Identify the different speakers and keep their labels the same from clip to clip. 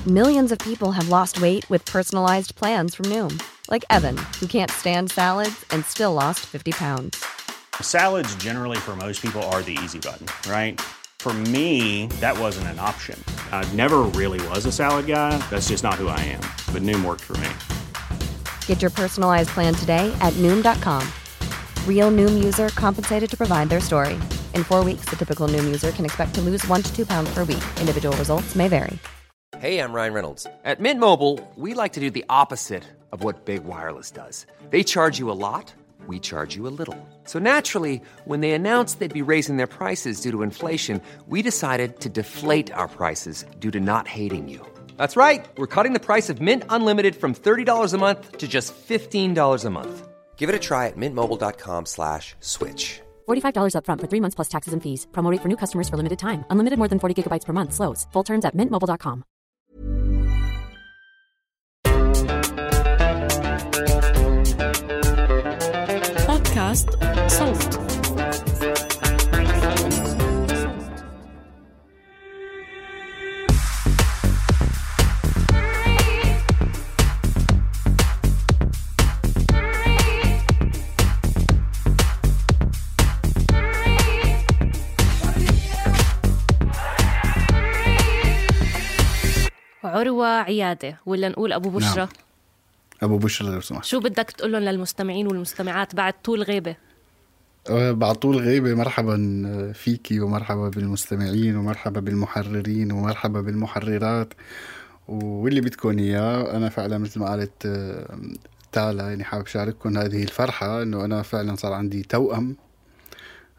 Speaker 1: Millions of people have lost weight with personalized plans from Noom. Like Evan, who can't stand salads and still lost 50 pounds.
Speaker 2: Salads generally for most people are the easy button, right? For me, that wasn't an option. I never really was a salad guy. That's just not who I am. But Noom worked for me.
Speaker 1: Get your personalized plan today at Noom.com. Real Noom user compensated to provide their story. In 4 weeks, the typical Noom user can expect to lose 1 to 2 pounds per week. Individual results may vary.
Speaker 3: Hey, I'm Ryan Reynolds. At Mint Mobile, we like to do the opposite of what Big Wireless does. They charge you a lot, we charge you a little. So naturally, when they announced they'd be raising their prices due to inflation, we decided to deflate our prices due to not hating you. That's right. We're cutting the price of Mint Unlimited from $30 a month to just $15 a month. Give it a try at mintmobile.com/switch.
Speaker 4: $45 up front for 3 months plus taxes and fees. Promo rate for new customers for limited time. Unlimited more than 40 gigabytes per month. Slows full terms at mintmobile.com.
Speaker 5: بودكاست صوت. عروة عيادة ولا نقول أبو بشرة؟
Speaker 6: نعم. أبو بشرة لو سمحت.
Speaker 5: شو بدك تقولن للمستمعين والمستمعات بعد طول غيبة؟
Speaker 6: بعد طول غيبة مرحبا فيكي ومرحبا بالمستمعين ومرحبا بالمحررين ومرحبا بالمحررات واللي بدكم إياه. أنا فعلا مثل ما قالت تالا يعني حابب شارككم هذه الفرحة إنه أنا فعلا صار عندي توأم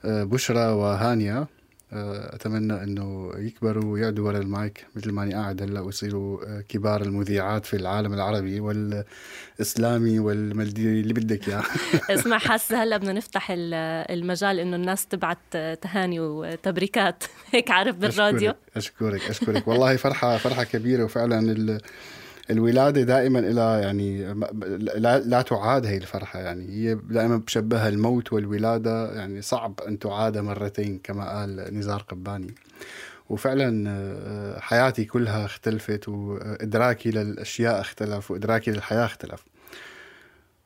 Speaker 6: بشرة وهانية. أتمنى أنه يكبروا ويعدوا ورا المايك مثل ما أنا قاعد هلا ويصيروا كبار المذيعات في العالم العربي والإسلامي والمالدي اللي بدك إياه.
Speaker 5: اسمع، حاسة هلا بدنا نفتح المجال إنه الناس تبعت تهاني وتبريكات هيك عارف بالراديو.
Speaker 6: أشكرك والله فرحة كبيرة. وفعلا الولادة دائما إلى يعني لا تعاد هي الفرحة، يعني هي دائما بشبهها الموت والولادة، يعني صعب أن تعاد مرتين كما قال نزار قباني. وفعلا حياتي كلها اختلفت وإدراكي للأشياء اختلف وإدراكي للحياة اختلف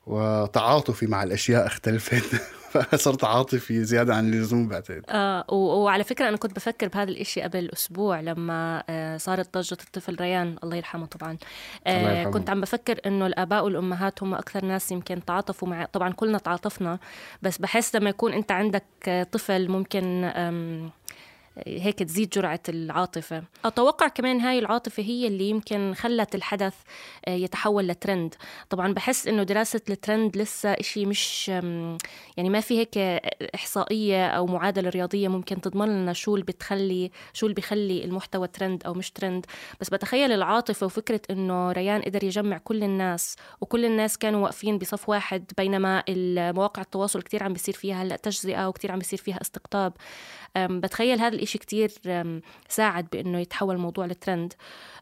Speaker 6: وتعاطفي مع الأشياء اختلفت. فصرت عاطفي زيادة عن اللزوم بعتقد.
Speaker 5: وعلى فكرة أنا كنت بفكر بهذا الإشي قبل أسبوع لما صارت ضجة الطفل ريان الله يرحمه طبعا. كنت عم بفكر إنه الآباء والأمهات هم أكثر ناس يمكن تعاطفوا مع، طبعا كلنا تعاطفنا، بس بحس لما يكون أنت عندك طفل ممكن هيك تزيد جرعة العاطفة. أتوقع كمان هاي العاطفة هي اللي يمكن خلت الحدث يتحول لترند. طبعا بحس إنه دراسة الترند لسه إشي مش يعني ما في هيك إحصائية أو معادلة رياضية ممكن تضمن لنا شو اللي بيخلي المحتوى ترند أو مش ترند. بس بتخيل العاطفة وفكرة إنه ريان قدر يجمع كل الناس وكل الناس كانوا واقفين بصف واحد، بينما المواقع التواصل كتير عم بيصير فيها هلأ تجزئة وكتير عم بيصير فيها استقطاب. بتخيل هذا الإشي كتير ساعد بأنه يتحول الموضوع لترند،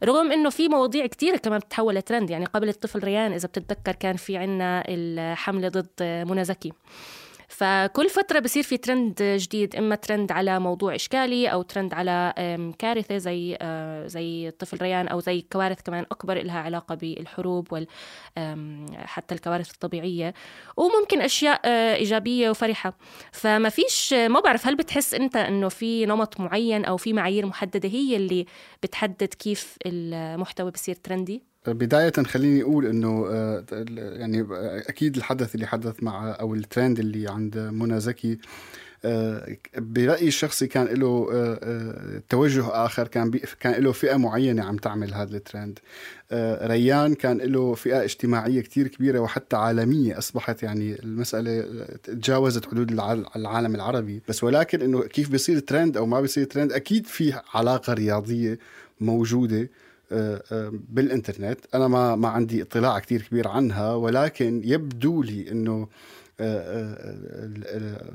Speaker 5: رغم أنه في مواضيع كتير كمان بتتحول لترند. يعني قبل الطفل ريان إذا بتتذكر كان في عنا الحملة ضد منى زكي، فكل فترة بصير في ترند جديد، إما ترند على موضوع إشكالي أو ترند على كارثة زي الطفل ريان، أو زي كوارث كمان أكبر إلها علاقة بالحروب حتى الكوارث الطبيعية، وممكن أشياء إيجابية وفرحة. فما فيش، ما بعرف، هل بتحس أنت أنه في نمط معين أو في معايير محددة هي اللي بتحدد كيف المحتوى بصير ترندي؟
Speaker 6: بداية خليني أقول أنه يعني أكيد الحدث اللي حدث مع أو الترند اللي عند منى زكي برأيي الشخصي كان له توجه آخر، كان له فئة معينة عم تعمل هذا الترند. ريان كان له فئة اجتماعية كتير كبيرة وحتى عالمية، أصبحت يعني المسألة تجاوزت حدود العالم العربي. بس ولكن أنه كيف بيصير ترند أو ما بيصير ترند، أكيد في علاقة رياضية موجودة بالإنترنت. أنا ما عندي اطلاع كتير كبير عنها، ولكن يبدو لي أنه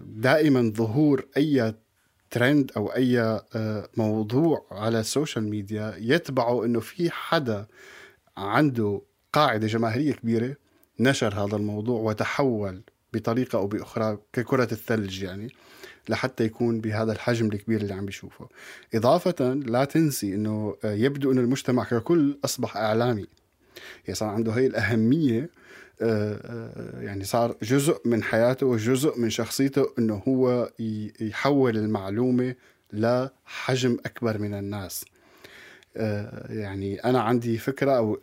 Speaker 6: دائما ظهور أي ترند أو أي موضوع على السوشيال ميديا يتبعه أنه في حدا عنده قاعدة جماهيرية كبيرة نشر هذا الموضوع وتحول بطريقة أو بأخرى ككرة الثلج، يعني لحتى يكون بهذا الحجم الكبير اللي عم بيشوفه. إضافة لا تنسي أنه يبدو أن المجتمع ككل أصبح إعلامي، يعني صار عنده هاي الأهمية، يعني صار جزء من حياته وجزء من شخصيته أنه هو يحول المعلومة لحجم أكبر من الناس. يعني أنا عندي فكرة أو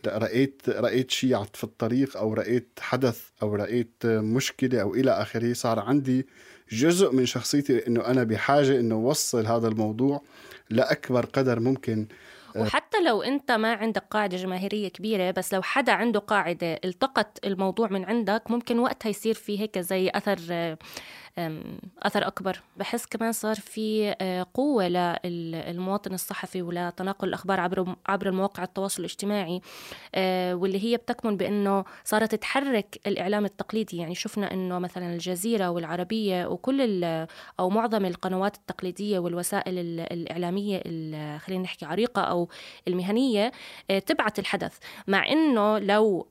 Speaker 6: رأيت شيء في الطريق أو رأيت حدث أو رأيت مشكلة أو إلى آخره، صار عندي جزء من شخصيتي أنه أنا بحاجة أنه وصل هذا الموضوع لأكبر قدر ممكن.
Speaker 5: وحتى لو أنت ما عندك قاعدة جماهيرية كبيرة، بس لو حدا عنده قاعدة التقط الموضوع من عندك، ممكن وقتها يصير فيه هيك زي أثر أكبر. بحس كمان صار في قوة للمواطن الصحفي ولتناقل الأخبار عبر المواقع التواصل الاجتماعي، واللي هي بتكمن بأنه صارت تحرك الإعلام التقليدي. يعني شفنا أنه مثلا الجزيرة والعربية وكل أو معظم القنوات التقليدية والوسائل الإعلامية خلينا نحكي عريقة أو المهنية تبعت الحدث، مع أنه لو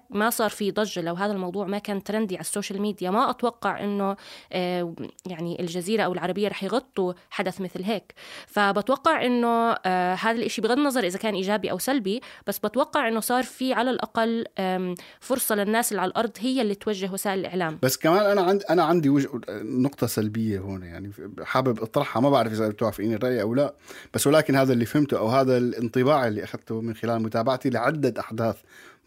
Speaker 5: ما صار في ضجة، لو هذا الموضوع ما كان ترندي على السوشيال ميديا، ما أتوقع أنه يعني الجزيرة أو العربية رح يغطوا حدث مثل هيك. فبتوقع أنه هذا الإشي بغض النظر إذا كان إيجابي أو سلبي، بس بتوقع أنه صار في على الأقل فرصة للناس اللي على الأرض هي اللي توجه وسائل الإعلام.
Speaker 6: بس كمان أنا عندي نقطة سلبية هون، يعني حابب أطرحها، ما بعرف إذا بتوافقيني الرأي أو لا، بس ولكن هذا اللي فهمته أو هذا الانطباع اللي أخذته من خلال متابعتي لعدة أحداث،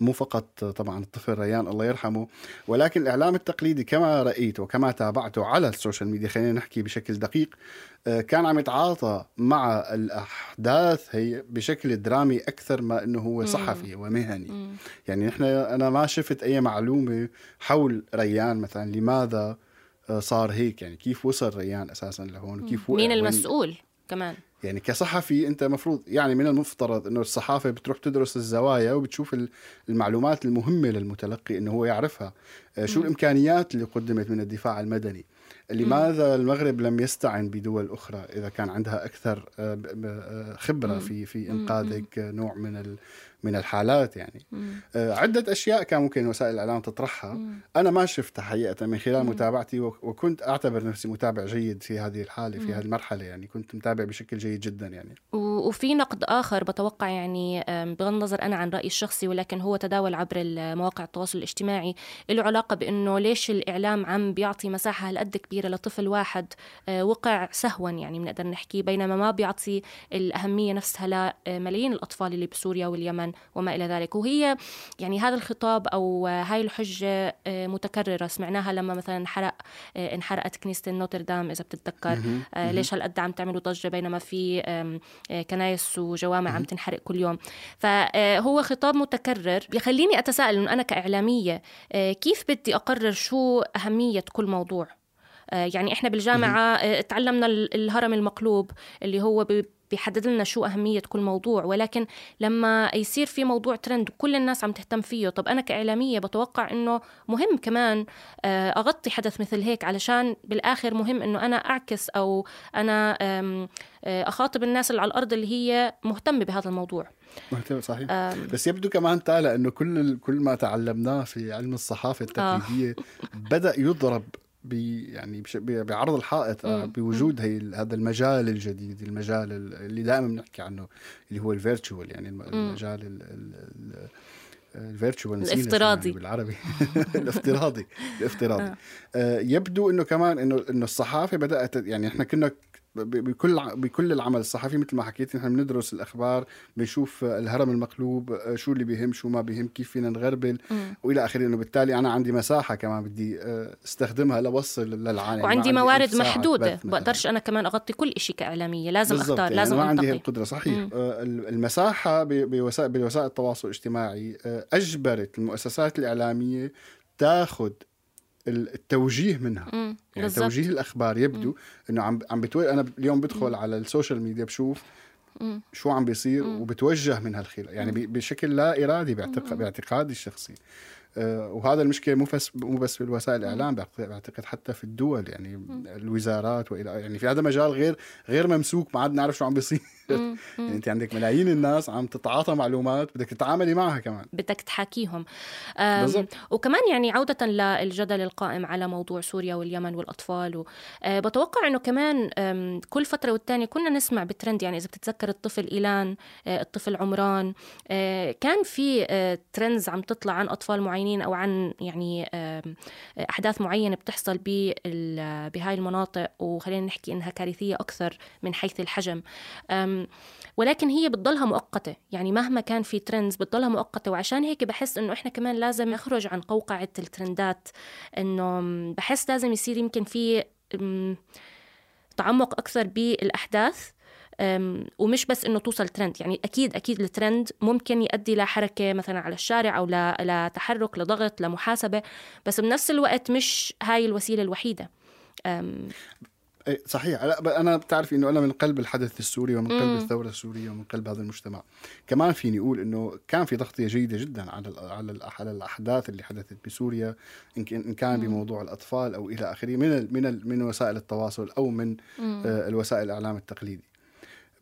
Speaker 6: مو فقط طبعا الطفل ريان الله يرحمه، ولكن الإعلام التقليدي كما رأيته وكما تابعته على السوشيال ميديا، خلينا نحكي بشكل دقيق، كان عم يتعاطى مع الأحداث هي بشكل درامي أكثر ما أنه هو صحفي ومهني. يعني أنا ما شفت أي معلومة حول ريان مثلا، لماذا صار هيك، يعني كيف وصل ريان أساسا لهون، وكيف
Speaker 5: مين المسؤول كمان.
Speaker 6: يعني كصحفي أنت مفروض، يعني من المفترض أنه الصحافة بتروح تدرس الزوايا وبتشوف المعلومات المهمة للمتلقي أنه هو يعرفها. شو الإمكانيات اللي قدمت من الدفاع المدني، لماذا المغرب لم يستعن بدول أخرى إذا كان عندها أكثر خبرة في إنقاذ نوع من الحالات. يعني عدة أشياء كان ممكن وسائل الإعلام تطرحها، أنا ما شفتها حقيقة من خلال متابعتي، وكنت أعتبر نفسي متابع جيد في هذه الحالة، في هذه المرحلة، يعني كنت متابع بشكل جيد جدا. يعني
Speaker 5: وفي نقد آخر بتوقع، يعني بغض النظر أنا عن رأيي الشخصي، ولكن هو تداول عبر مواقع التواصل الاجتماعي، له علاقة بأنه ليش الإعلام عم بيعطي مساحة هالقد كبيرة لطفل واحد وقع سهوا، يعني بنقدر نحكي، بينما ما بيعطي الأهمية نفسها لملايين الأطفال اللي بسوريا واليمن وما إلى ذلك. وهي يعني هذا الخطاب أو هاي الحجة متكررة سمعناها لما مثلا انحرقت كنيسة نوتردام إذا بتتذكر. ليش هالقد عم تعملوا ضجة بينما في كنايس وجوامع عم تنحرق كل يوم؟ فهو خطاب متكرر بيخليني أتساءل إنه أنا كإعلامية كيف بدي أقرر شو أهمية كل موضوع. يعني إحنا بالجامعة تعلمنا الهرم المقلوب اللي هو بيحدد لنا شو أهمية كل موضوع، ولكن لما يصير في موضوع ترند وكل الناس عم تهتم فيه، طب أنا كإعلامية بتوقع إنه مهم كمان أغطي حدث مثل هيك، علشان بالآخر مهم إنه أنا أعكس أو أنا أخاطب الناس اللي على الأرض اللي هي مهتمة بهذا الموضوع.
Speaker 6: مهتم صحيح. بس يبدو كمان تعالى إنه كل ما تعلمناه في علم الصحافة التقليدية بدأ يضرب يعني بعرض الحائط بوجود هذا المجال الجديد، المجال اللي دائما بنحكي عنه اللي هو الفيرتشوال، يعني المجال الفيرتشوال
Speaker 5: الافتراضي
Speaker 6: يعني بالعربي الافتراضي. يبدو انه كمان انه الصحافة بدأت، يعني احنا كنا بكل العمل الصحفي مثل ما حكيت، نحن بندرس الأخبار، بنشوف الهرم المقلوب، شو اللي بيهم شو ما بيهم، كيف فينا نغربل وإلى آخره. إنه بالتالي أنا عندي مساحة كمان بدي استخدمها لوصل للعالم،
Speaker 5: وعندي موارد محدودة، بقدرش أنا كمان أغطي كل إشي كإعلامية، لازم أختار،
Speaker 6: يعني
Speaker 5: لازم
Speaker 6: ما
Speaker 5: أنتقي.
Speaker 6: عندي القدرة صحيح. المساحة بوسائل التواصل الاجتماعي أجبرت المؤسسات الإعلامية تاخد التوجيه منها، يعني بالزبط. توجيه الأخبار يبدو إنه عم أنا اليوم بدخل على السوشيال ميديا بشوف شو عم بيصير وبتوجه من هالخير، يعني بشكل لا إرادي باعتقادي الشخصي. وهذا المشكلة مو بس في الوسائل الإعلام، بعتقد حتى في الدول، يعني الوزارات يعني في هذا مجال غير ممسوك، ما عاد نعرف شو عم بيصير. يعني أنت عندك ملايين الناس عم تتعاطى معلومات، بدك تتعاملي معها كمان،
Speaker 5: بدك تحاكيهم.
Speaker 6: وكمان
Speaker 5: يعني عودة للجدل القائم على موضوع سوريا واليمن والأطفال، بتوقع أنه كمان كل فترة والتانية كنا نسمع بترند. يعني إذا بتتذكر الطفل إيلان، الطفل عمران، كان في ترندز عم تطلع عن أطفال معينين أو عن يعني أحداث معينة بتحصل بهاي المناطق، وخلينا نحكي إنها كارثية أكثر من حيث الحجم، ولكن هي بتضلها مؤقتة. يعني مهما كان في ترندز بتضلها مؤقتة، وعشان هيك بحس إنه إحنا كمان لازم نخرج عن قوقعة الترندات. إنه بحس لازم يصير يمكن في تعمق أكثر بالأحداث، ومش بس إنه توصل ترند. يعني أكيد الترند ممكن يؤدي لحركة مثلا على الشارع أو لتحرك، لضغط، لمحاسبة، بس بنفس الوقت مش هاي الوسيلة الوحيدة.
Speaker 6: صحيح. أنا بتعرف إنه أنا من قلب الحدث السوري ومن قلب الثورة السورية ومن قلب هذا المجتمع. كمان فيني أقول إنه كان في تغطية جيدة جدا على الأحداث اللي حدثت بسوريا، إن كان بموضوع الأطفال أو إلى آخره من وسائل التواصل أو من الوسائل الإعلام التقليدي.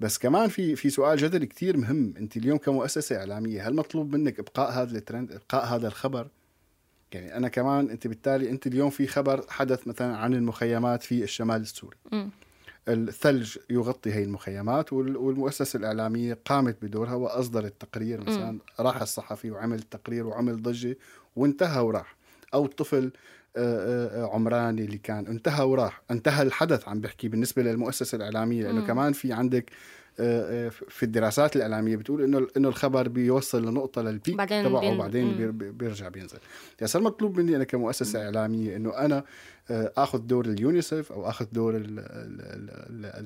Speaker 6: بس كمان في سؤال جدلي كتير مهم. أنت اليوم كمؤسسة إعلامية، هل مطلوب منك إبقاء هذا الترند، إبقاء هذا الخبر؟ يعني أنا كمان بالتالي أنت اليوم في خبر حدث مثلا عن المخيمات في الشمال السوري، الثلج يغطي هاي المخيمات، والمؤسسة الإعلامية قامت بدورها وأصدرت تقرير مثلا، راح الصحفي وعمل تقرير وعمل ضجة وانتهى وراح. أو الطفل عمراني اللي كان انتهى وراح، انتهى الحدث. عم بحكي بالنسبة للمؤسسة الإعلامية، لأنه كمان في عندك في الدراسات الإعلامية بتقول إنه الخبر بيوصل لنقطة للبيك تبعه وبعدين بيرجع بينزل. يعني صار مطلوب مني أنا كمؤسسة إعلامية إنه أنا أخذ دور اليونيسف أو أخذ دور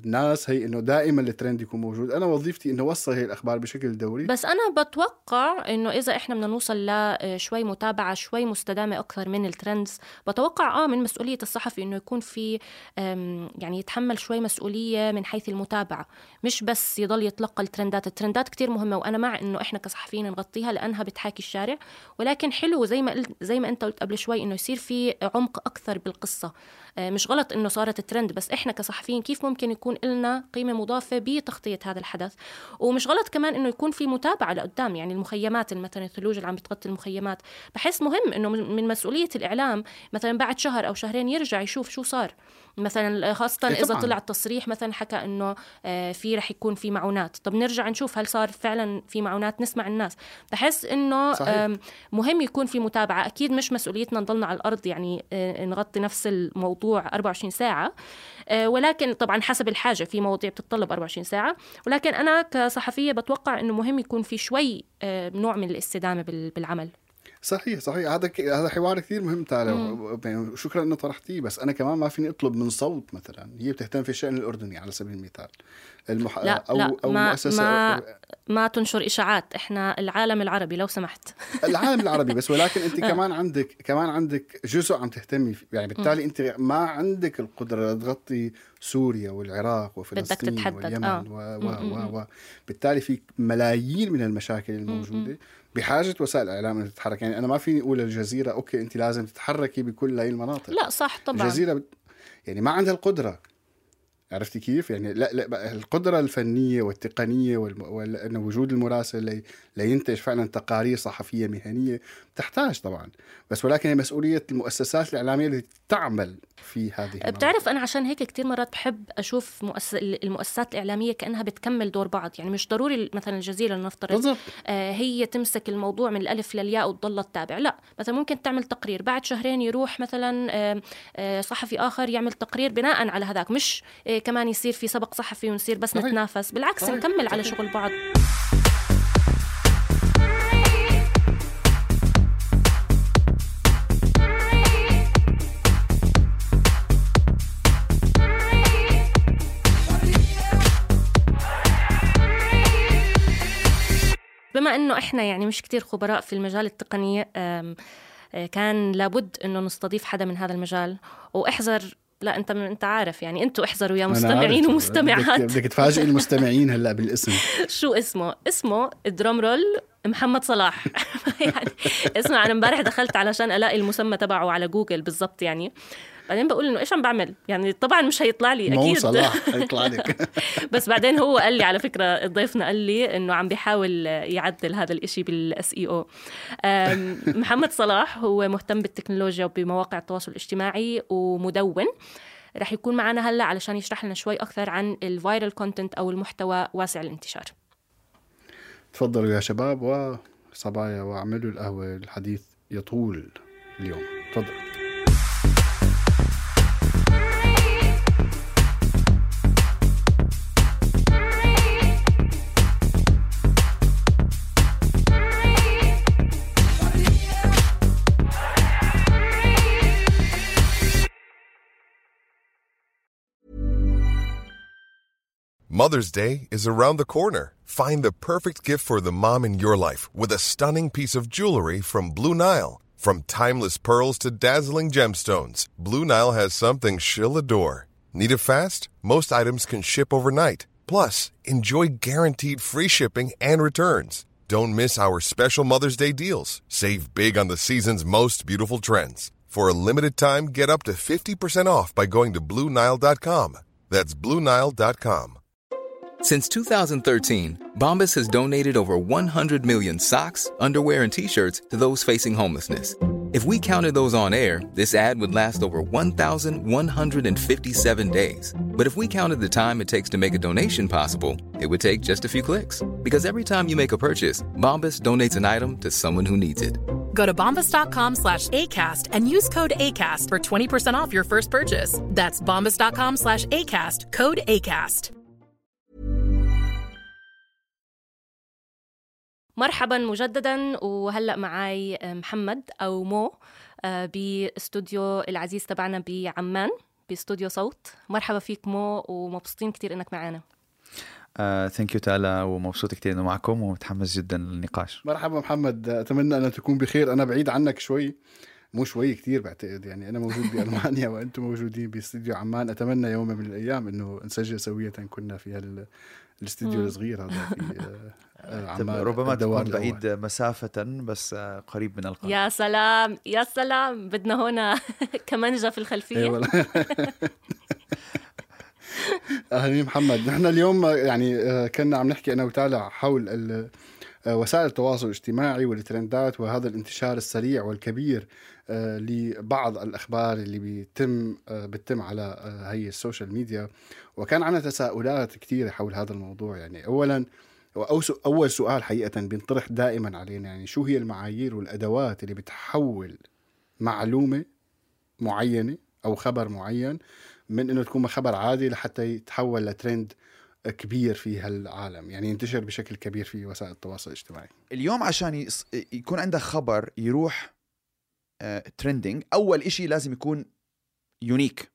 Speaker 6: الناس، هي إنه دائما الترند يكون موجود. أنا وظيفتي إنه أوصل هي الأخبار بشكل دوري.
Speaker 5: بس أنا بتوقع إنه إذا إحنا بدنا نوصل لشوي متابعة شوي مستدامة أكثر من الترندز، بتوقع من مسؤولية الصحفي إنه يكون في يعني يتحمل شوي مسؤولية من حيث المتابعة، مش بس يضل يتلقى الترندات كتير مهمة، وأنا مع إنه إحنا كصحفيين نغطيها لأنها بتحاكي الشارع، ولكن حلو زي ما أنت قلت قبل شوي إنه يصير في عمق أكثر بالقصة. مش غلط إنه صارت الترند، بس إحنا كصحفيين كيف ممكن يكون لنا قيمة مضافة بتغطية هذا الحدث. ومش غلط كمان إنه يكون في متابعة لقدام. يعني المخيمات مثلا، الثلوج اللي عم بتغطي المخيمات، بحس مهم إنه من مسؤولية الإعلام مثلا بعد شهر أو شهرين يرجع يشوف شو صار مثلا، خاصة إذا طلع التصريح مثلا حكى إنه في رح يكون في معونات. طب نرجع نشوف هل صار فعلا في معونات، نسمع الناس. بحس إنه مهم يكون في متابعة. أكيد مش مسؤوليتنا نضلنا على الأرض يعني نغطي نفس الموضوع 24 ساعة، ولكن طبعا حسب الحاجة، في مواضيع بتتطلب 24 ساعة، ولكن أنا كصحفية بتوقع إنه مهم يكون في شوي نوع من الاستدامة بالعمل.
Speaker 6: صحيح. هذا حوار كثير مهم تعالى، شكرا انه طرحتيه. بس انا كمان ما فيني اطلب من صوت مثلا هي بتهتم في الشأن الاردني على سبيل المثال،
Speaker 5: أو ما تنشر إشاعات. إحنا العالم العربي لو سمحت.
Speaker 6: العالم العربي بس، ولكن أنت كمان عندك جزء عم تهتمي فيه. يعني بالتالي أنت ما عندك القدرة تغطي سوريا والعراق وفلسطين واليمن بالتالي في ملايين من المشاكل الموجودة بحاجة وسائل الإعلام أن تتحرك. يعني أنا ما فيني أقول الجزيرة أوكي أنت لازم تتحركي بكل هاي المناطق.
Speaker 5: لا صح طبعا.
Speaker 6: الجزيرة يعني ما عندها القدرة. عرفتي كيف؟ يعني لا القدرة الفنية والتقنية وأن وجود المراسل لينتج فعلا تقارير صحفية مهنية تحتاج طبعا، بس ولكن هي مسؤولية المؤسسات الإعلامية التي تعمل في هذه
Speaker 5: بتعرف أنا عشان هيك كتير مرات بحب أشوف المؤسسات الإعلامية كأنها بتكمل دور بعض. يعني مش ضروري مثلا الجزيرة لنفترض هي تمسك الموضوع من الألف للياء وتضل تتابع، لا مثلا ممكن تعمل تقرير، بعد شهرين يروح مثلا صحفي آخر يعمل تقرير بناء على هذاك، مش كمان يصير في سبق صحفي ونصير بس نتنافس، بالعكس نكمل على شغل بعض. بما إنه إحنا يعني مش كتير خبراء في المجال التقني، كان لابد إنه نستضيف حدا من هذا المجال. واحذر لا انت عارف يعني، انتوا احذروا يا مستمعين ومستمعات.
Speaker 6: بدك تفاجئ المستمعين هلا بالاسم.
Speaker 5: شو اسمه درام رول محمد صلاح. يعني اسمع، انا امبارح دخلت علشان الاقي المسمى تبعه على جوجل بالضبط يعني، بعدين بقول انه ايش عم بعمل يعني، طبعا مش هيطلع لي اكيد
Speaker 6: مو صلاح هيطلع لك.
Speaker 5: بس بعدين هو قال لي على فكره، ضيفنا قال لي انه عم بيحاول يعدل هذا الاشي بالSEO. محمد صلاح هو مهتم بالتكنولوجيا وبمواقع التواصل الاجتماعي ومدون. رح يكون معنا هلا علشان يشرح لنا شوي اكثر عن الفايرال كونتنت او المحتوى واسع الانتشار.
Speaker 6: تفضلوا يا شباب وصبايا واعملوا القهوه، الحديث يطول اليوم. تفضل.
Speaker 7: Mother's Day is around the corner. Find the perfect gift for the mom in your life with a stunning piece of jewelry from Blue Nile. From timeless pearls to dazzling gemstones, Blue Nile has something she'll adore. Need it fast? Most items can ship overnight. Plus, enjoy guaranteed free shipping and returns. Don't miss our special Mother's Day deals. Save big on the season's most beautiful trends. For a limited time, get up to 50% off by going to BlueNile.com. That's BlueNile.com.
Speaker 8: Since 2013, Bombas has donated over 100 million socks, underwear, and T-shirts to those facing homelessness. If we counted those on air, this ad would last over 1,157 days. But if we counted the time it takes to make a donation possible, it would take just a few clicks. Because every time you make a purchase, Bombas donates an item to someone who needs it.
Speaker 9: Go to bombas.com/ACAST and use code ACAST for 20% off your first purchase. That's bombas.com/ACAST, code ACAST.
Speaker 5: مرحبا مجددا، وهلأ معاي محمد أو مو باستوديو العزيز تبعنا بعمان، باستوديو صوت. مرحبا فيك مو، ومبسوطين كتير إنك معنا.
Speaker 10: ثانك يو تالا، ومبسوط كتير إنه معكم ومتحمس جدا للنقاش.
Speaker 6: مرحبا محمد، أتمنى أن تكون بخير. أنا بعيد عنك شوي، مو شوي كتير بعتقد يعني. أنا موجود بألمانيا وأنتم موجودين باستوديو عمان. أتمنى يوم من الأيام إنه نسجل سوية كنا في الاستوديو الصغير هذا في عمان.
Speaker 10: ربما تكون بعيد مسافة بس قريب من القلب.
Speaker 5: يا سلام يا سلام، بدنا هنا كمانجة في الخلفية.
Speaker 6: أهلا محمد. نحن اليوم يعني كنا عم نحكي أنا وتالا حول وسائل التواصل الاجتماعي والترندات وهذا الانتشار السريع والكبير لبعض الأخبار اللي بتتم على هي السوشيال ميديا. وكان عنا تساؤلات كتير حول هذا الموضوع. يعني أول سؤال حقيقة بينطرح دائما علينا، يعني شو هي المعايير والأدوات اللي بتحول معلومة معينة أو خبر معين من إنه تكون خبر عادي لحتى يتحول لترند كبير في هالعالم، يعني ينتشر بشكل كبير في وسائل التواصل الاجتماعي.
Speaker 10: اليوم عشان يكون عندك خبر يروح ترندينج، أول إشي لازم يكون يونيك،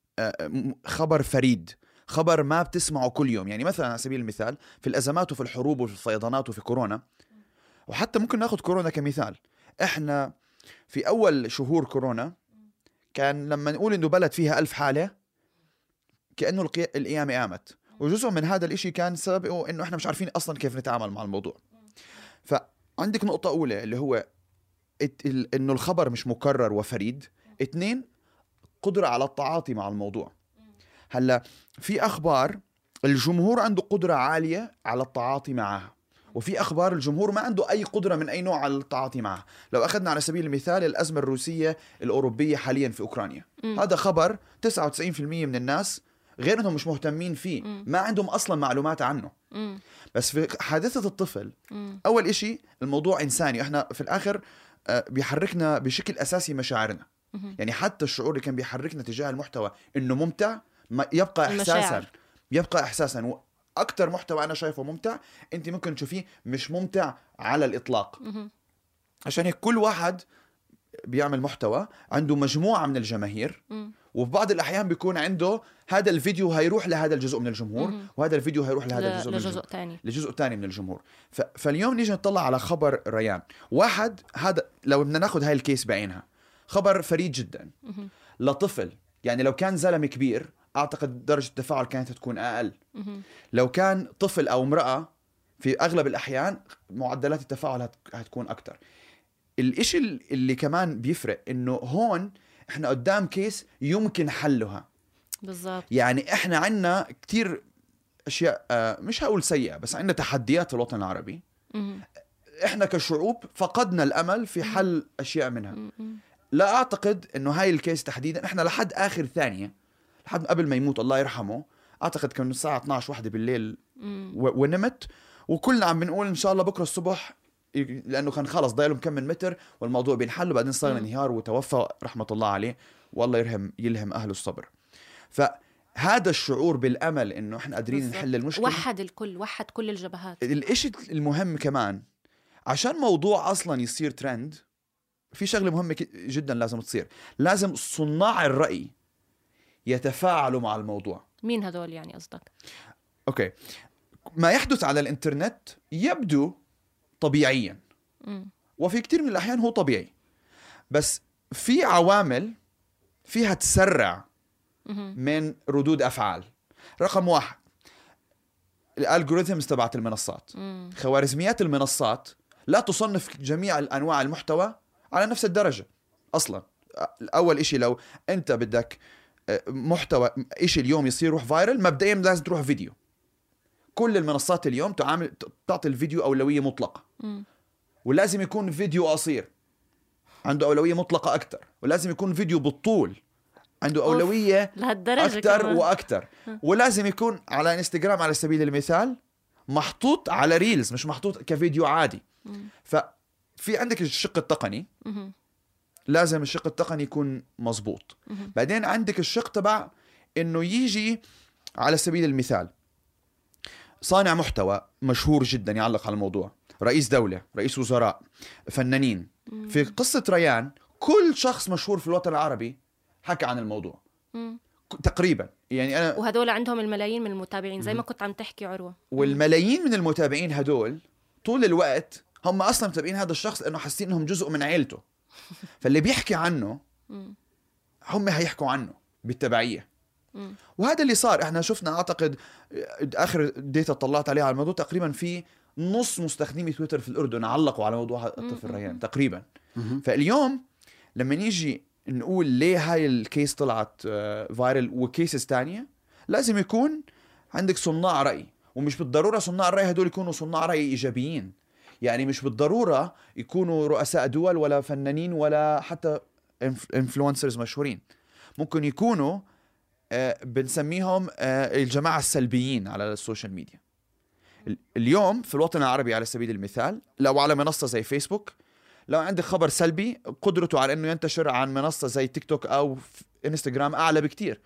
Speaker 10: خبر فريد، خبر ما بتسمعه كل يوم. يعني مثلا على سبيل المثال في الأزمات وفي الحروب وفي الفيضانات وفي كورونا، وحتى ممكن ناخد كورونا كمثال. إحنا في أول شهور كورونا كان لما نقول إنه بلد فيها 1000 حالة كأنه القيامة قامت، وجزء من هذا الإشي كان سببه إنه إحنا مش عارفين أصلا كيف نتعامل مع الموضوع. فعندك نقطة أولى اللي هو إنه الخبر مش مكرر وفريد. 2، قدرة على التعاطي مع الموضوع. هلا في أخبار الجمهور عنده قدرة عالية على التعاطي معها، وفي أخبار الجمهور ما عنده أي قدرة من أي نوع على التعاطي معها. لو أخذنا على سبيل المثال الأزمة الروسية الأوروبية حاليا في أوكرانيا، هذا خبر 99% من الناس غير أنهم مش مهتمين فيه، ما عندهم أصلا معلومات عنه. بس في حادثة الطفل، أول إشي الموضوع إنساني، إحنا في الآخر بيحركنا بشكل أساسي مشاعرنا. يعني حتى الشعور اللي كان بيحركنا تجاه المحتوى إنه ممتع يبقى إحساسا. وأكتر محتوى أنا شايفه ممتع أنت ممكن تشوفيه مش ممتع على الإطلاق. عشان هيك كل واحد بيعمل محتوى عنده مجموعة من الجماهير، وفي بعض الأحيان بيكون عنده هذا الفيديو هيروح لهذا الجزء من الجمهور، وهذا الفيديو هيروح لهذا لجزء تاني من الجمهور. فاليوم نيجي نطلع على خبر ريان واحد. هذا لو بدنا ناخد هاي الكيس بعينها، خبر فريد جدا لطفل يعني لو كان زلمة كبير أعتقد درجة التفاعل كانت تكون أقل. لو كان طفل أو امرأة في أغلب الأحيان معدلات التفاعل هتكون أكتر. الإشي اللي كمان بيفرق إنه هون إحنا قدام كيس يمكن حلها.
Speaker 5: بالضبط.
Speaker 10: يعني إحنا عنا كتير أشياء مش هقول سيئة بس عنا تحديات في الوطن العربي. إحنا كشعوب فقدنا الأمل في حل أشياء منها. لا أعتقد إنه هاي الكيس تحديدا إحنا لحد آخر ثانية لحد قبل ما يموت الله يرحمه أعتقد كان الساعة 12 واحدة بالليل ونمت وكلنا عم بنقول إن شاء الله بكرة الصبح لأنه كان خلص ضايلهم كم من متر والموضوع بينحل وبعدين صار انهيار وتوفى رحمة الله عليه والله يلهم أهله الصبر. فهذا الشعور بالأمل إنه إحنا قادرين نحل المشكلة
Speaker 5: وحد كل الجبهات.
Speaker 10: الإشي المهم كمان عشان موضوع أصلا يصير ترند في شغلة مهمة جدا لازم تصير. لازم صناع الرأي يتفاعلوا مع الموضوع.
Speaker 5: مين هدول يعني قصدك؟
Speaker 10: أوكي. ما يحدث على الإنترنت يبدو طبيعيا وفي كتير من الأحيان هو طبيعي بس في عوامل فيها تسرع من ردود أفعال. رقم 1 الالغوريثمز تبعت المنصات. خوارزميات المنصات لا تصنف جميع الأنواع المحتوى على نفس الدرجة أصلا. أول إشي لو أنت بدك محتوى إشي اليوم يصير روح فايرل مبدئيا لازم تروح فيديو. كل المنصات اليوم تعطي الفيديو أولوية مطلقة ولازم يكون فيديو قصير عنده أولوية مطلقة أكتر ولازم يكون فيديو بالطول عنده أولوية أكتر وأكتر ولازم يكون على انستغرام على سبيل المثال محطوط على ريلز مش محطوط كفيديو عادي. ففي عندك الشق التقني لازم الشق التقني يكون مزبوط. بعدين عندك الشق تبع إنه يجي على سبيل المثال صانع محتوى مشهور جدا يعلق على الموضوع رئيس دولة رئيس وزراء فنانين. في قصة ريان كل شخص مشهور في الوطن العربي حكى عن الموضوع تقريبا. يعني أنا
Speaker 5: وهدول عندهم الملايين من المتابعين زي ما كنت عم تحكي عروة.
Speaker 10: والملايين من المتابعين هدول طول الوقت هم أصلا متابعين هذا الشخص لأنه حاسين إنهم جزء من عيلته. فاللي بيحكي عنه هم هيحكوا عنه بالتبعية. وهذا اللي صار. احنا شفنا اعتقد اخر ديتا طلعت عليها على الموضوع تقريبا في نص مستخدمي تويتر في الأردن علقوا على موضوع الطفل ريان تقريبا. فاليوم لما نيجي نقول ليه هاي الكيس طلعت فايرل وكيسز تانية لازم يكون عندك صناع رأي. ومش بالضرورة صناع الرأي هدول يكونوا صناع رأي إيجابيين. يعني مش بالضرورة يكونوا رؤساء دول ولا فنانين ولا حتى انفلونسرز مشهورين. ممكن يكونوا بنسميهم الجماعة السلبيين على السوشيال ميديا. اليوم في الوطن العربي على سبيل المثال لو على منصة زي فيسبوك لو عندك خبر سلبي قدرته على أنه ينتشر عن منصة زي تيك توك أو إنستغرام أعلى بكتير.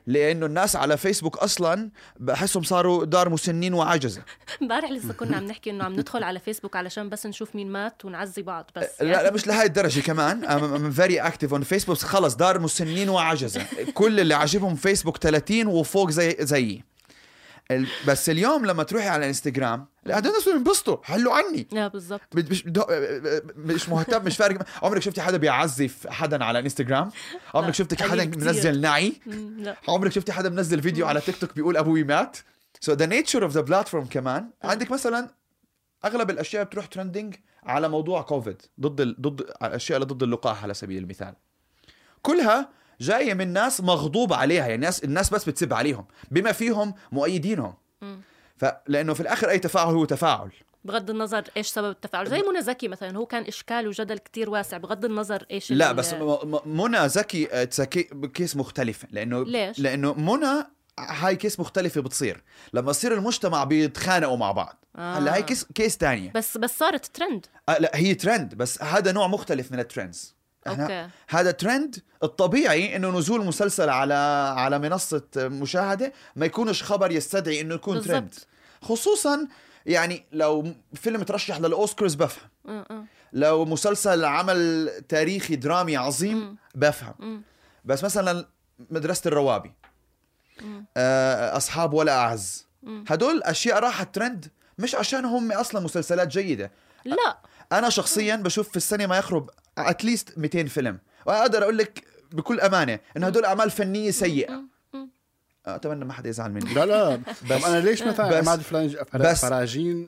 Speaker 10: لأنه الناس على فيسبوك أصلاً بحسهم صاروا دار مسنين وعجزة.
Speaker 5: امبارح لسه كنا عم نحكي إنه عم ندخل على فيسبوك علشان بس نشوف مين مات ونعزي بعض بس.
Speaker 10: يعني لا مش لهاي الدرجة كمان. I'm very active on Facebook. خلص دار مسنين وعجزة. كل اللي عاجبهم فيسبوك 30 وفوق زيي. بس اليوم لما تروحي على انستغرام هذول الناس بينبسطوا حلوا عني.
Speaker 5: لا بالضبط.
Speaker 10: مش مهتم مش فارق. عمرك شفتي حدا بيعزف حدا على انستغرام؟ عمرك شفتي حدا منزل نعي؟ عمرك شفتي حدا منزل فيديو على تيك توك بيقول ابوي مات؟ So the nature of the platform كمان عندك مثلا اغلب الاشياء بتروح ترندنج على موضوع كوفيد ضد الاشياء اللي ضد اللقاح على سبيل المثال. كلها جاية من ناس مغضوب عليها. يعني الناس بس بتسب عليهم بما فيهم مؤيدينهم. فلأنه في الآخر أي تفاعل هو تفاعل
Speaker 5: بغض النظر إيش سبب التفاعل. زي منى زكي مثلا هو كان إشكال وجدل كتير واسع بغض النظر إيش.
Speaker 10: لا بس منى زكي كيس مختلف. لأنه منى هاي كيس مختلفة بتصير لما يصير المجتمع بيتخانقوا مع بعض. هلا هاي كيس تانية
Speaker 5: بس صارت ترند.
Speaker 10: لا هي ترند بس هذا نوع مختلف من الترندز. هذا ترند الطبيعي انه نزول مسلسل على منصة مشاهدة ما يكونش خبر يستدعي انه يكون بالزبط. ترند خصوصا يعني لو فيلم ترشح للأوسكارز بفهم. لو مسلسل عمل تاريخي درامي عظيم بفهم. بس مثلا مدرسة الروابي أصحاب ولا أعز هدول أشياء راحت ترند مش عشان هم أصلا مسلسلات جيدة.
Speaker 5: لا
Speaker 10: أنا شخصيا بشوف في السنة ما يقرب أتليست 200 فيلم وأقدر أقول لك بكل امانه انه هدول اعمال فنيه سيئه. اتمنى ما حدا يزعل مني.
Speaker 6: لا بس انا ليش مثلا عماد فراجين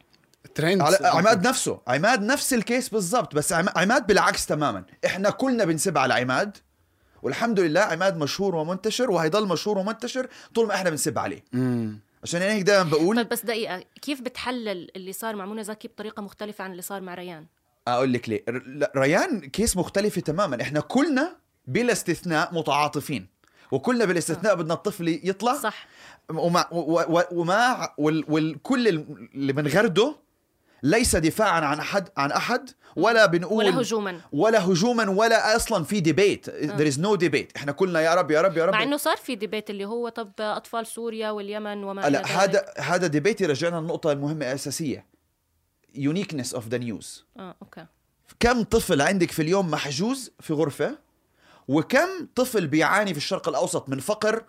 Speaker 6: ترند
Speaker 10: عماد نفسه، عماد نفس الكيس بالضبط، بس عماد بالعكس تماما. احنا كلنا بنسب على عماد، والحمد لله عماد مشهور ومنتشر وهيضل مشهور ومنتشر طول ما احنا بنسب عليه. عشان هيك دائما بقول.
Speaker 5: بس دقيقة، كيف بتحلل اللي صار مع منى زكي بطريقة مختلفة عن اللي صار مع ريان؟
Speaker 10: اقول لك ليه. ريان كيس مختلفة تماما. احنا كلنا بلا استثناء متعاطفين، وكلنا بلا استثناء بدنا الطفل يطلع
Speaker 5: صح.
Speaker 10: والكل اللي بنغرده ليس دفاعا عن احد ولا بنقول ولا هجوما ولا اصلا في ديبيت. there is no debate. احنا كلنا يا رب يا رب يا رب.
Speaker 5: مع انه صار في ديبيت اللي هو طب اطفال سوريا واليمن وما
Speaker 10: لا، هذا ديبيت يرجعنا النقطة المهمة الأساسية، uniqueness of the news.
Speaker 5: اوكي.
Speaker 10: كم طفل عندك في اليوم محجوز في غرفة، وكم طفل بيعاني في الشرق الأوسط من فقر؟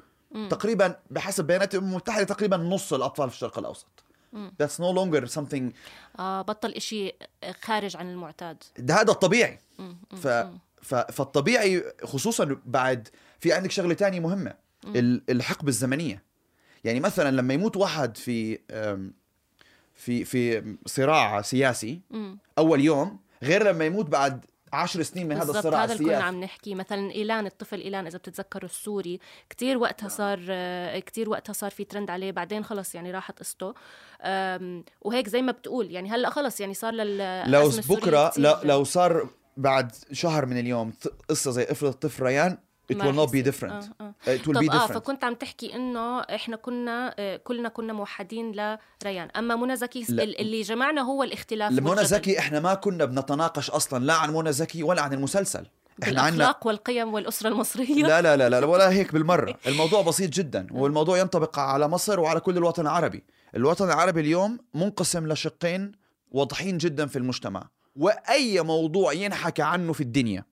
Speaker 10: تقريبا بحسب بيانات الأمم المتحدة تقريبا نص الأطفال في الشرق الأوسط. That's no longer something.
Speaker 5: بطل إشي خارج عن المعتاد.
Speaker 10: هذا الطبيعي. فالطبيعي خصوصا بعد في عندك شغلة تانية مهمة، الحقبة الزمنية. يعني مثلا لما يموت واحد في صراع سياسي أول يوم، غير لما يموت بعد 10 سنين من هذا الصراع السياسي.
Speaker 5: هذا اللي كنا عم نحكي. مثلا إيلان، الطفل إيلان إذا بتتذكروا السوري، كتير وقتها صار في ترند عليه، بعدين خلص يعني راحت قصته. وهيك زي ما بتقول يعني هلا خلص يعني صار
Speaker 10: لو بكرة لو صار بعد شهر من اليوم قصة زي افرض الطفل ريان it will not be different. It will be different.
Speaker 5: فكنت عم تحكي إنه إحنا كلنا كنا موحدين لريان، أما منى زكي اللي جمعنا هو الاختلاف.
Speaker 10: منى زكي إحنا ما كنا بنتناقش أصلا لا عن منى زكي ولا عن المسلسل.
Speaker 5: إحنا عن الأخلاق والقيم والأسرة المصرية.
Speaker 10: لا ولا هيك بالمرة. الموضوع بسيط جدا، والموضوع ينطبق على مصر وعلى كل الوطن العربي. الوطن العربي اليوم منقسم لشقين واضحين جدا في المجتمع، وأي موضوع ينحكى عنه في الدنيا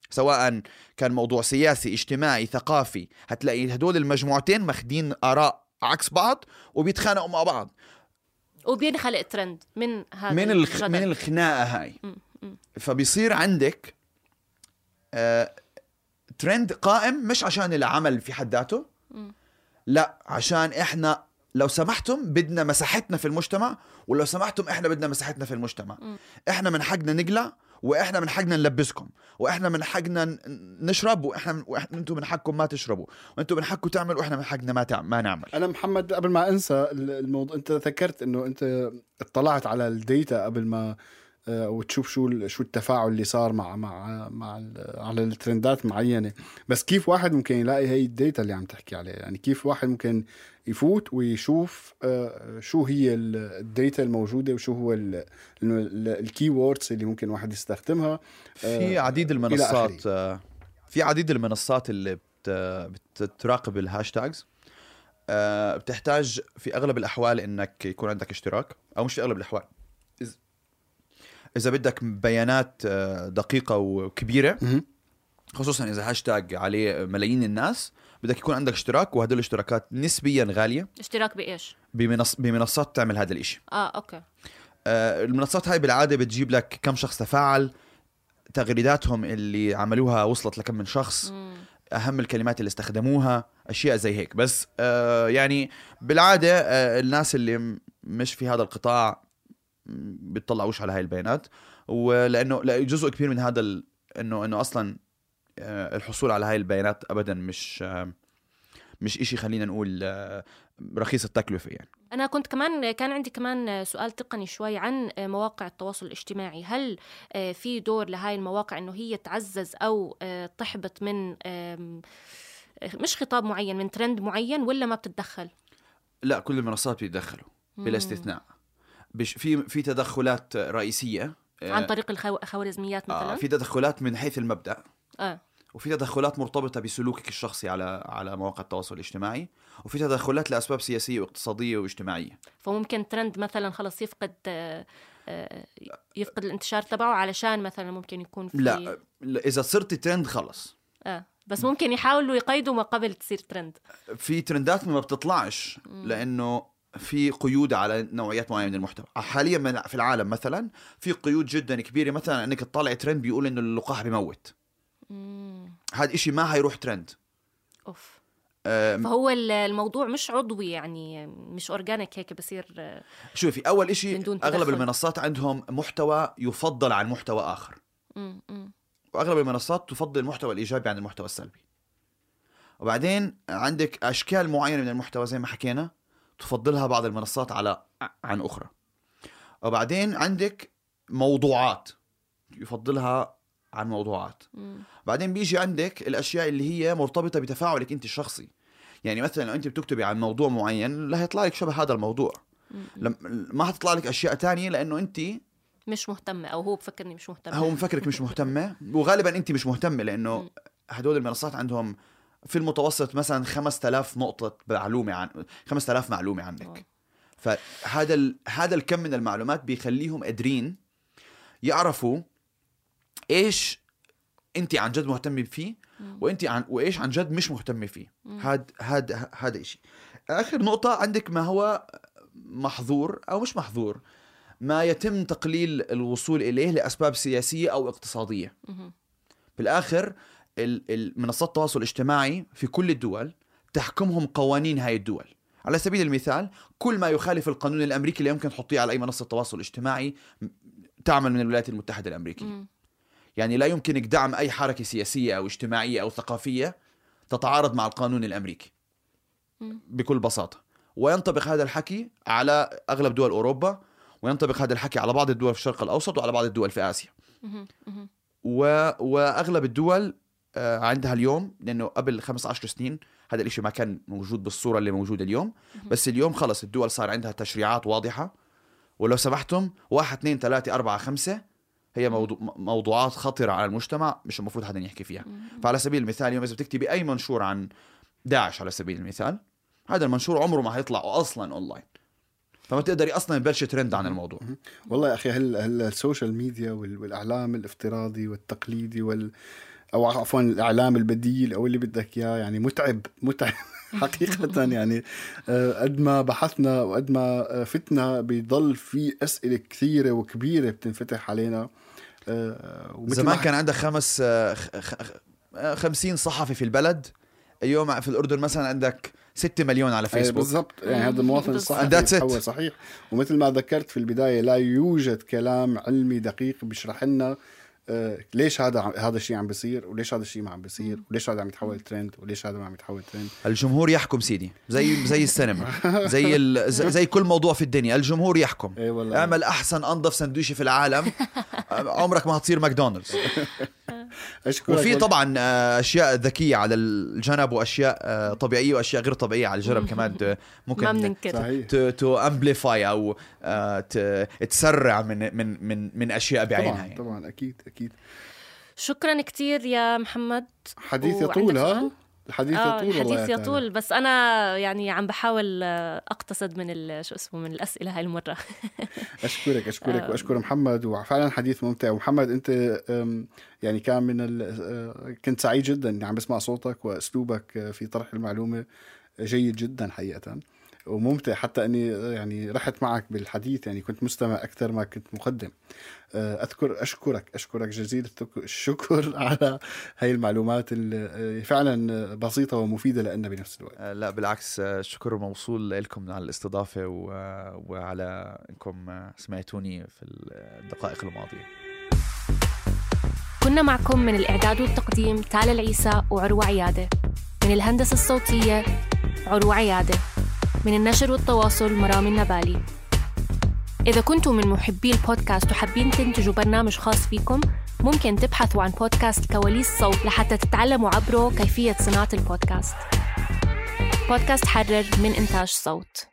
Speaker 10: سواء كان موضوع سياسي اجتماعي ثقافي، هتلاقي هدول المجموعتين ماخدين آراء عكس بعض وبيتخانقوا مع بعض،
Speaker 5: وبينخلق ترند من هذا
Speaker 10: من الخناقة هاي. فبيصير عندك ترند قائم، مش عشان العمل في حد ذاته، لا عشان احنا لو سمحتم بدنا مساحتنا في المجتمع، ولو سمحتم احنا بدنا مساحتنا في المجتمع. احنا من حقنا نقلع، واحنا من حقنا نلبسكم، واحنا من حقنا نشرب، واحنا انتم من حقكم ما تشربوا، وانتم من حقكم تعملوا، واحنا من حقنا ما نعمل.
Speaker 6: انا محمد قبل ما انسى الموضوع، انت ذكرت انه انت اطلعت على الديتا قبل ما وتشوف شو التفاعل اللي صار مع على الترندات معينة. بس كيف واحد ممكن يلاقي هاي الديتا اللي عم تحكي عليها؟ يعني كيف واحد ممكن يفوت ويشوف شو هي الديتا الموجودة، وشو هو الكي ووردز اللي ممكن واحد يستخدمها؟
Speaker 10: في عديد المنصات اللي بتراقب الهاشتاجز. بتحتاج في أغلب الأحوال إنك يكون عندك اشتراك، أو مش في أغلب الأحوال، إذا بدك بيانات دقيقة وكبيرة، خصوصا إذا هاشتاج عليه ملايين الناس، بدك يكون عندك اشتراك، وهذول الاشتراكات نسبيا غالية.
Speaker 5: اشتراك بإيش؟
Speaker 10: بمنصات تعمل هذا الاشي.
Speaker 5: أوكي.
Speaker 10: المنصات هاي بالعادة بتجيب لك كم شخص تفاعل، تغريداتهم اللي عملوها وصلت لكم من شخص، أهم الكلمات اللي استخدموها، أشياء زي هيك. بس يعني بالعادة الناس اللي مش في هذا القطاع بيطلعوش على هاي البيانات، ولأنه جزء كبير من هذا إنه أصلا الحصول على هاي البيانات أبدا مش إشي خلينا نقول رخيص التكلفة. يعني
Speaker 5: أنا كان عندي كمان سؤال تقني شوي عن مواقع التواصل الاجتماعي. هل في دور لهاي المواقع إنه هي تعزز أو تحبط من مش خطاب معين، من ترند معين، ولا ما بتتدخل؟
Speaker 10: لا، كل المنصات بيتدخلوا بلا استثناء. في تدخلات رئيسية
Speaker 5: عن طريق الخوارزميات مثلا.
Speaker 10: في تدخلات من حيث المبدأ، وفي تدخلات مرتبطة بسلوكك الشخصي على مواقع التواصل الاجتماعي، وفي تدخلات لأسباب سياسية واقتصادية واجتماعية.
Speaker 5: فممكن ترند مثلا خلص يفقد الانتشار تبعه علشان مثلا ممكن يكون في
Speaker 10: لا إذا صرت ترند خلص.
Speaker 5: بس ممكن يحاولوا يقيدوا ما قبل تصير ترند.
Speaker 10: في ترندات ما بتطلعش لأنه في قيود على نوعيات معينة من المحتوى. حاليا في العالم مثلا في قيود جدا كبيرة، مثلا انك تطلع ترند بيقول انه اللقاح بيموت. هذا إشي ما هيروح ترند.
Speaker 5: أوف. فهو الموضوع مش عضوي يعني مش أورجانيك هيك بصير.
Speaker 10: شوفي أول إشي أغلب المنصات عندهم محتوى يفضل عن محتوى آخر. وأغلب المنصات تفضل المحتوى الإيجابي عن المحتوى السلبي. وبعدين عندك أشكال معينة من المحتوى زي ما حكينا تفضلها بعض المنصات عن أخرى. وبعدين عندك موضوعات يفضلها عن موضوعات. بعدين بيجي عندك الأشياء اللي هي مرتبطة بتفاعلك أنت الشخصي. يعني مثلا لو أنت بتكتبي عن موضوع معين لا هيطلع لك شبه هذا الموضوع، ما هتطلع لك أشياء تانية لأنه أنت
Speaker 5: مش مهتمة أو هو بفكرني مش مهتمة.
Speaker 10: هو مفكرك مش مهتمة وغالبا أنت مش مهتمة لأنه هدول المنصات عندهم في المتوسط مثلا 5000 نقطة معلومة عن 5000 معلومة عنك. فهذا الكم من المعلومات بيخليهم قادرين يعرفوا إيش أنت عن جد مهتمة فيه وإيش عن جد مش مهتمة فيه. هذا إشي. آخر نقطة عندك ما هو محظور أو مش محظور، ما يتم تقليل الوصول إليه لأسباب سياسية أو اقتصادية. بالآخر المنصات التواصل الاجتماعي في كل الدول تحكمهم قوانين هاي الدول. على سبيل المثال كل ما يخالف القانون الأمريكي اللي يمكن تحطيه على أي منصة تواصل اجتماعي تعمل من الولايات المتحدة الأمريكية. يعني لا يمكنك دعم أي حركة سياسية أو اجتماعية أو ثقافية تتعارض مع القانون الأمريكي بكل بساطة. وينطبق هذا الحكي على أغلب دول أوروبا، وينطبق هذا الحكي على بعض الدول في الشرق الأوسط وعلى بعض الدول في آسيا. وأغلب الدول عندها اليوم، لأنه قبل 15 سنين هذا الاشي ما كان موجود بالصورة اللي موجودة اليوم، بس اليوم خلص الدول صار عندها تشريعات واضحة، ولو سمحتم 1 2 3 4 5 هي موضوعات خطرة على المجتمع مش المفروض حدا يحكي فيها. فعلى سبيل المثال اليوم إذا بتكتبي أي منشور عن داعش على سبيل المثال، هذا المنشور عمره ما هيطلع أصلا أونلاين، فما تقدري أصلا يبلش ترند عن الموضوع.
Speaker 6: والله يا أخي السوشيال ميديا والإعلام الافتراضي والتقليدي أو عفوا الإعلام البديل أو اللي بدك إياه يعني متعب حقيقة. يعني قد ما بحثنا وقد ما فتنا بيضل في أسئلة كثيرة وكبيرة بتنفتح علينا.
Speaker 10: زمان كان عندك 50 صحفي في البلد، اليوم في الأردن مثلا عندك 6 مليون على فيسبوك.
Speaker 6: بالضبط، يعني هذا المواطن الصحفي هو صحيح. ومثل ما ذكرت في البداية لا يوجد كلام علمي دقيق بيشرح لنا ليش هذا الشيء عم بيصير، وليش هذا الشيء ما عم بيصير، وليش هذا عم يتحول ترند، وليش هذا ما عم يتحول ترند.
Speaker 10: الجمهور يحكم سيدي، زي السينما، زي كل موضوع في الدنيا الجمهور يحكم. اعمل احسن انظف سندويشة في العالم عمرك ما هتصير ماكدونالدز. وفي طبعا اشياء ذكية على الجنب واشياء طبيعية واشياء غير طبيعية على الجنب كمان ممكن تو امبليفاي او تسرع من اشياء بعينها.
Speaker 6: طبعا اكيد.
Speaker 5: شكرا كتير يا محمد.
Speaker 6: حديث يطول.
Speaker 5: الحديث يطول، بس أنا يعني عم بحاول أقتصد من من الأسئلة هاي المرة.
Speaker 6: أشكرك وأشكر محمد، وفعلا حديث ممتع. ومحمد أنت يعني كان كنت سعيد جدا إني عم بسمع صوتك وأسلوبك في طرح المعلومة جيد جدا حقيقة وممتع، حتى أني يعني رحت معك بالحديث، يعني كنت مستمع أكثر ما كنت مقدم. أشكرك جزيل الشكر على هاي المعلومات اللي فعلا بسيطة ومفيدة لنا بنفس الوقت.
Speaker 10: لا بالعكس، الشكر موصول لكم على الاستضافة وعلى أنكم سمعتوني في الدقائق الماضية.
Speaker 5: كنا معكم من الإعداد والتقديم تالا العيسى وعروة عيادة، من الهندسة الصوتية عروة عيادة، من النشر والتواصل مرام النبالي. إذا كنتم من محبي البودكاست وحابين تنتجوا برنامج خاص فيكم، ممكن تبحثوا عن بودكاست كواليس صوت لحتى تتعلموا عبره كيفية صناعة البودكاست. بودكاست حرر من إنتاج صوت.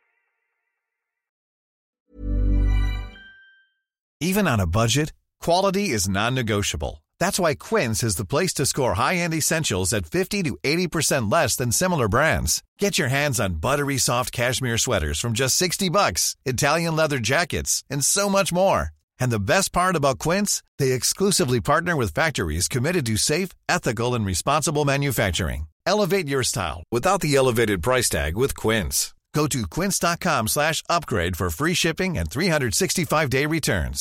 Speaker 11: Even on a budget, quality is non-negotiable. That's why Quince is the place to score high-end essentials at 50 to 80% less than similar brands. Get your hands on buttery soft cashmere sweaters from just $60, Italian leather jackets, and so much more. And the best part about Quince, they exclusively partner with factories committed to safe, ethical, and responsible manufacturing. Elevate your style without the elevated price tag with Quince. Go to quince.com/upgrade for free shipping and 365-day returns.